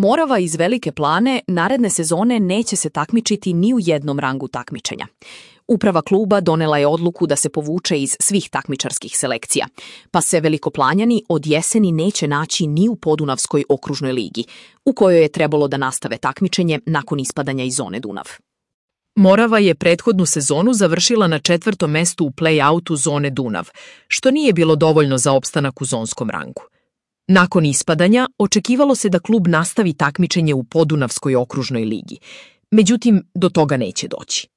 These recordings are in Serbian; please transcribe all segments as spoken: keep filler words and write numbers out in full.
Morava iz Velike Plane naredne sezone neće se takmičiti ni u jednom rangu takmičenja. Uprava kluba donela je odluku da se povuče iz svih takmičarskih selekcija, pa se Velikoplanjani od jeseni neće naći ni u Podunavskoj okružnoj ligi, u kojoj je trebalo da nastave takmičenje nakon ispadanja iz zone Dunav. Morava je prethodnu sezonu završila na četvrtom mestu u play-outu zone Dunav, što nije bilo dovoljno za opstanak u zonskom rangu. Nakon ispadanja, očekivalo se da klub nastavi takmičenje u Podunavskoj okružnoj ligi, međutim, do toga neće doći.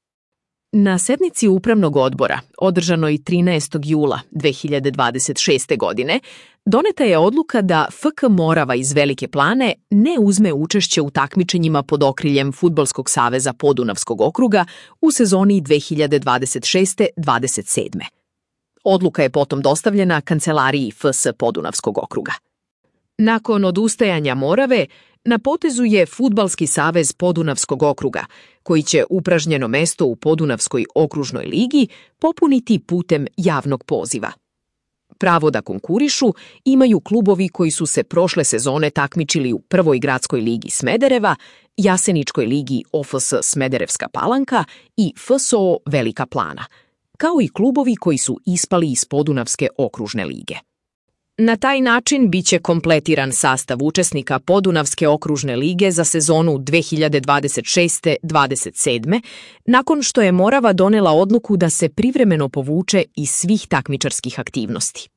Na sednici upravnog odbora, održanoj trinaestog jula dve hiljade dvadeset šeste. godine, doneta je odluka da F K Morava iz Velike Plane ne uzme učešće u takmičenjima pod okriljem Fudbalskog saveza Podunavskog okruga u sezoni dve hiljade dvadeset šeste dvadeset sedme. Odluka je potom dostavljena kancelariji F S Podunavskog okruga. Nakon odustajanja Morave, na potezu je Fudbalski savez Podunavskog okruga, koji će upražnjeno mesto u Podunavskoj okružnoj ligi popuniti putem javnog poziva. Pravo da konkurišu imaju klubovi koji su se prošle sezone takmičili u Prvoj gradskoj ligi Smedereva, Jaseničkoj ligi O F S Smederevska Palanka i F S O Velika Plana, kao i klubovi koji su ispali iz Podunavske okružne lige. Na taj način biće kompletiran sastav učesnika Podunavske okružne lige za sezonu dve hiljade dvadeset šeste dvadeset sedme. nakon što je Morava donela odluku da se privremeno povuče iz svih takmičarskih aktivnosti.